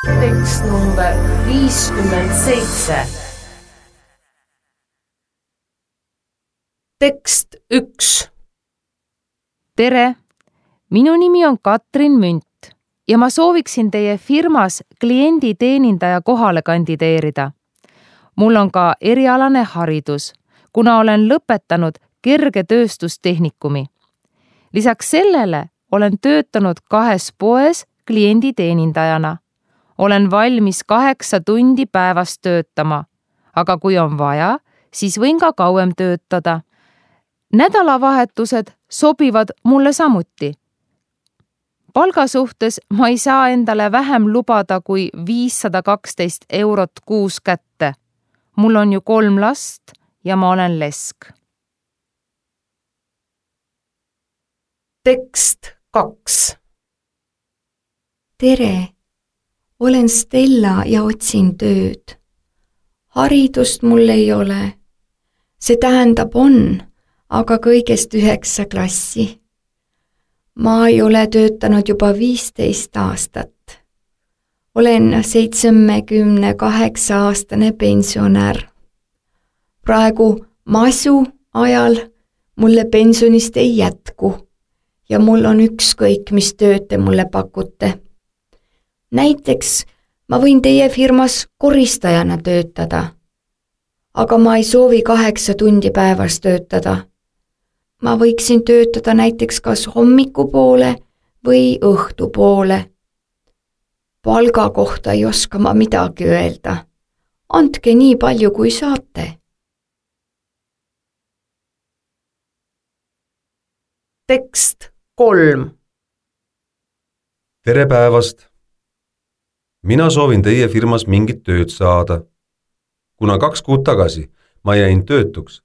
Tekst number 57. Tekst 1. Tere, minu nimi on Katrin Münt ja ma sooviksin teie firmas klienditeenindaja kohale kandideerida. Mul on ka erialane haridus, kuna olen lõpetanud kergetööstustehnikumi. Lisaks sellele olen töötanud 2 poes klienditeenindajana. Olen valmis 8 tundi päevas töötama, aga kui on vaja, siis võin ka kauem töötada. Nädalavahetused sobivad mulle samuti. Palga suhtes ma ei saa endale vähem lubada kui 512 eurot kuus kätte. Mul on ju 3 last ja ma olen lesk. Tekst 2. Tere, olen Stella ja otsin tööd. Haridust mul ei ole. See tähendab on, aga kõigest 9 klassi. Ma ei ole töötanud juba 15 aastat. Olen 78-aastane pensionär. Praegu masu ajal mulle pensionist ei jätku ja mul on ükskõik, mis tööd te mulle pakute. Näiteks ma võin teie firmas koristajana töötada, aga ma ei soovi 8 tundi päevas töötada. Ma võiksin töötada näiteks kas hommikupoole või õhtupoole. Palga kohta ei oska ma midagi öelda. Andke nii palju, kui saate. Tekst 3. Tere päevast! Mina soovin teie firmas mingit tööd saada. Kuna 2 kuud tagasi ma jäin töötuks,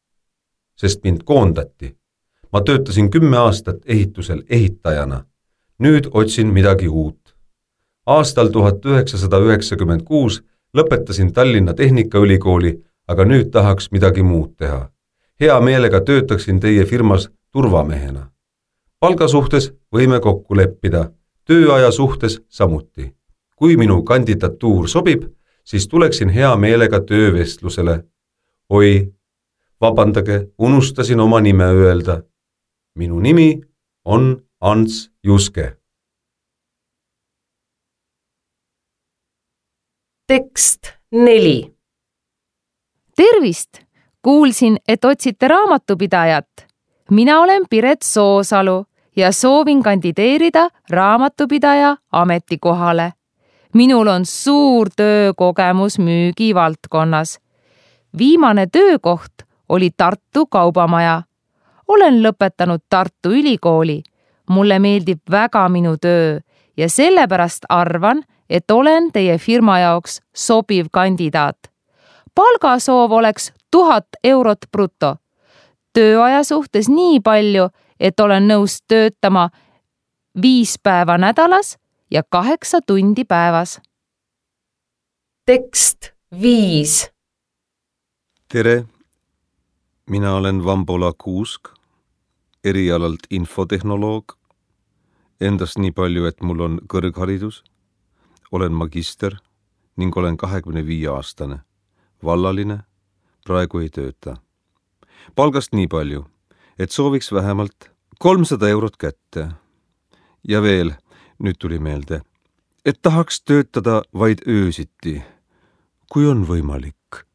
sest mind koondati. Ma töötasin 10 aastat ehitusel ehitajana. Nüüd otsin midagi uut. Aastal 1996 lõpetasin Tallinna Tehnikaülikooli, aga nüüd tahaks midagi muud teha. Hea meelega töötaksin teie firmas turvamehena. Palga suhtes võime kokku leppida, tööaja suhtes samuti. Kui minu kandidatuur sobib, siis tuleksin hea meelega töövestlusele. Oi, vabandage, unustasin oma nime öelda. Minu nimi on Ants Juske. Tekst 4. Tervist! Kuulsin, et otsite raamatupidajat. Mina olen Piret Soosalu ja soovin kandideerida raamatupidaja ametikohale. Minul on suur töökogemus müügivaldkonnas. Viimane töökoht oli Tartu Kaubamaja. Olen lõpetanud Tartu Ülikooli. Mulle meeldib väga minu töö ja sellepärast arvan, et olen teie firma jaoks sobiv kandidaat. Palgasoov oleks 1000 eurot bruto. Tööaja suhtes nii palju, et olen nõus töötama 5 päeva nädalas ja 8 tundi päevas. Tekst 5. Tere, mina olen Vambola Kuusk, erialalt infotehnoloog. Endast nii palju, et mul on kõrgharidus, olen magister ning olen 25-aastane, vallaline, praegu ei tööta. Palgast nii palju, et sooviks vähemalt 300 eurot kätte. Ja veel, nüüd tuli meelde, et tahaks töötada vaid öösiti, kui on võimalik.